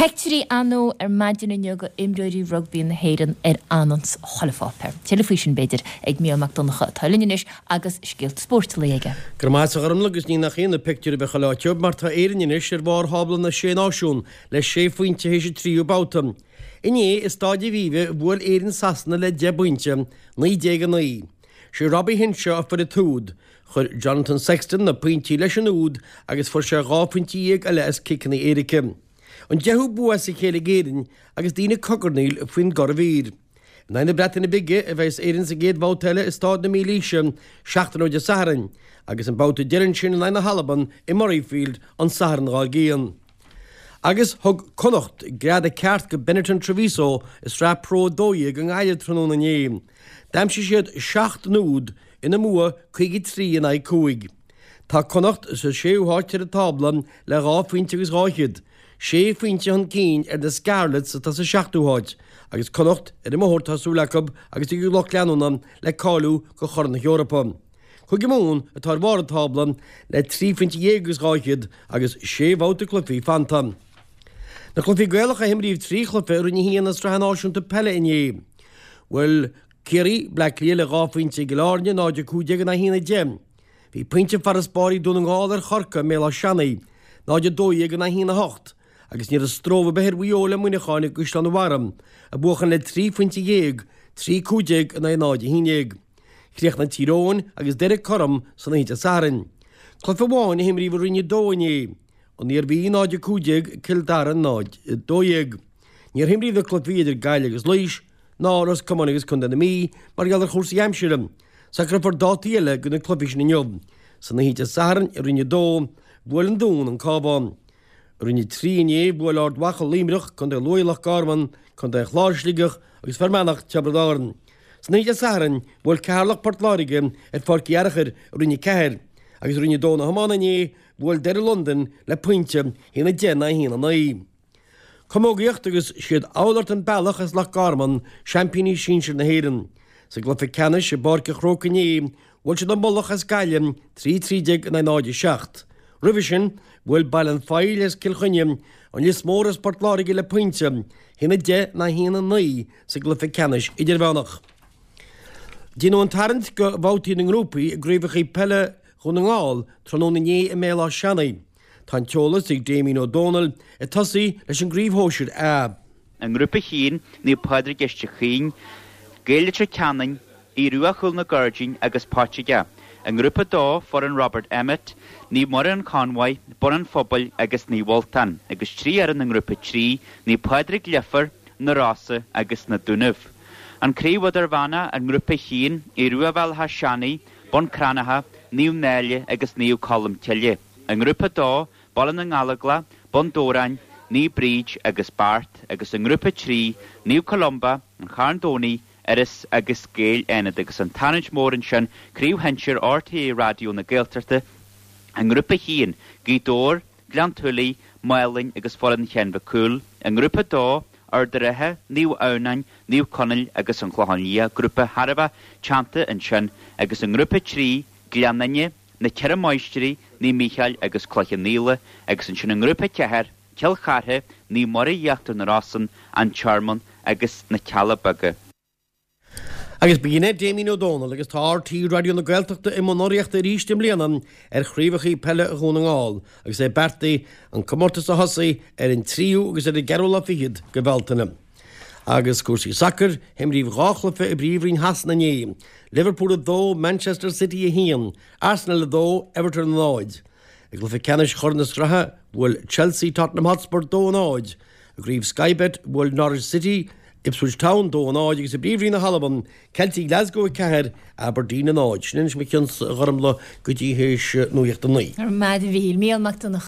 Peictiúirí ar ndóigh ar maidin inniu go imreoirí rugbaí na hÉireann ar anons chuile pháipéar. Tuilleadh faoi sin, b'fhéidir, ag Mícheál Mac Donncha atá linn anois agus scéalta spóirt an lae aige. Go raibh maith agat a Ghormlaith agus ní nach ionadh pictiúir a bheith chuile áit mar tá Éirinn anois ar bharr thábla na Sé Náisiún le sé phointe théis an tríú babhta. Inné i Stáid Aviva bhuail Éirinn Sasana le 10 bpointe, 19-9. Sé Robbie Henshaw a fuair an t-úd. Chuir Jonathan Sexton na pointí leis an úd agus fuair sé 12 phointe eile as ciceanna éirice. An deichiú bua as a chéile ag Éirinn agus daoine ag cogarnaíl faoin gcuradh mhír. In aghaidh na Breataine Bige a bheas Éirinn sa gcéad bhabhta eile i Stáid na Mílaoise seachtain ó Dé Sathairn agus an babhta deiridh ansin in aghaidh na hAlban i Murrayfield an Satharn dhár gcionn. Agus thug Connacht greadadh ceart go Benetton Treviso i Sraith Pro 12 i nGaillimh tráthnóna inné. D'aimsigh siad 7 n-úd ina mbua 53 in aghaidh 5. Tá Connacht sa séú háit ar an tábla le dhá phointe agus dhá fhichead, sé phointe chun cinn ar na Scarlets atá sa seachtú háit, agus Connacht ar an mbóthar tá súil acu agus ag a lucht leanúna le cáiliú go Chorn na hEorpa. Cúige Mumhan atá ar bharr an tábla le trí phointe dhéag agus dhá fhichead agus sé bhabhta cluichí fanta. Na cluichí Gaelacha a himríodh trí chluiche i Roinn 1 na Sraithe Náisiúnta Peile inné. Bhuail Ciarraí, Bleá Cliath le dhá phointe i gCill Airne, 0-15 in aghaidh 1-10. Bhí pointe farasbarr ag Dún na nGall ar Chorcaigh i mBéal Átha Seanaidh, 0-12 in aghaidh 1-8, agus ní raibh stró ar bith ar Mhaigh Eo le Muineachán i gCaisleán an Bharraigh, a buachan le trí phointe dhéag, 3-15 in aghaidh 0-11. Chríochnaigh Tír Eoghain agus Doire cothrom san oíche Dé Sathairn. Cluiche amháin a himríodh i Roinn 2 inné. An Iarmhí 0-15, Cill Dara 0-12. Níor himríodh na cluichí idir Gaillimh agus Laois ná Ros Comáin agus Contae na Mí mar gheall ar chúrsaí aimsire. Socrófar dátaí eile do na cluichí sin inniu. San oíche Dé Sathairn i Roinn 2, bhuail an Dún an Cabhán. I Roinn 3 inné, bhuail Ard Mhacha Luimneach, Contae Lú Loch Garman, Contae an Chláir Sligeach agus Fear Manach Tiobraid Árann. San oíche Dé Sathairn, bhuail Ceatharlach Port Láirge ar Pháirc Uí Fhearachair i Roinn 4 agus i Roinn 2 na hiomána inné, bhuail Doire Londain le pointe, 1-10 in aghaidh 1-9. Camógaíocht agus siad Oulart an Bealach as Loch Garman seaimpíní sinsir na hÉireann. Sa gcluiche ceannais i bPáirc an Chrócaigh inné, bhuail siad an Mullach as Gaillimh 3-13 in aghaidh 0-7. Roimhe sin, bhuail Baile an Phoill as Cill Chainnigh an Lios Mór as Port Láirge le pointe, 1-10 in aghaidh 1-9 sa gcluiche ceannais idirmheánach. Déanadh an tarraingt do bhabhtaí na ngrúpaí i gcraobhacha peile Dhún na nGall tráthnóna inné i mBéal Átha Seanaidh. Tá an t-eolas ag Damien Ó Dónaill, ag tosaí leis an gcraobh shóisir A. I nGrúpa 1, Naomh Pádraig Leitir Caoin, Gaeil Leitir Ceanainn, Aodh Rua Chúl na Gairdín agus Poitighe. I nGrúpa 2, foireann Robert Emmet, Naomh Muire an Convoy, Bun an Phobail agus Naomh Ultan, agus trí fhoireann i nGrúpa 3, Naomh Pádraig Leifear, Na Rosa agus Na Dúnaibh. An Craobh Idirmheánach i nGrúpa 1, Aodh Rua Bhéal Átha Seanaidh, Bun Cranncha, Naomh Náille agus Naomh Colm Cille. I nGrúpa 2, Baile na nGallóglach, Bun Dobhráin, Naomh Bríd agus Beart agus i nGrúpa 3, Naomh Columba, An Charn Domhnaigh, Iorras agus Gaeil Fhánada agus an tarraingt mhór ansin, Craobh Shinsir RTÉ Raidió na Gaeltachta i nGrúpa 1, Gaoth Dobhair, Gleann tSúilí, Málainn agus foireann Sheáin Mhic Cumhaill. I nGrúpa 2, Ard an Rátha, Naomh Adhamhnáin, Naomh Conaill agus An Clochán Liath, grúpa thar a bheith teannta ansin, agus i nGrúpa 3, Gleann Fhinne, Na Ceithre Máistrí, Naomh Mícheál agus Cloich Cheann Fhaola, agus ansin i nGrúpa 4, Cill Chartha, Naomh Muire Íochtar na Rosann, An Tearmann agus Na Cealla Beaga. Agus b'in é Damien Ó Dónaill agus tá RTÉ Raidió na Gaeltachta i mbun urraíochta arís i mbliana ar chraobhacha peile Dhún na nGall agus é beartaithe an comórtas a thosaí ar an tríú agus ar an gceathrú lá fichead de Bhealtaine. Agus cúrsaí sacair, himríodh dhá chluiche i bPríomhroinn Shasana inné, Liverpool 2, Manchester City 1, Arsenal 2, Everton 0. I gcluiche ceannais Chorn na Sraithe, bhuail Chelsea Tottenham Hotspur 2, 0. I gcraobh Sky Bet, bhuail Norwich City Ipswich Town 2, 0 agus i bPríomhroinn na hAlban, Celtic Glasgow 4, Aberdeen 0. Sin anois mo chionn-sa a Ghormlaith go dtí théis nuacht a 9. Go raibh maith agat a Mhíchíl. Mícheál Mac Donncha.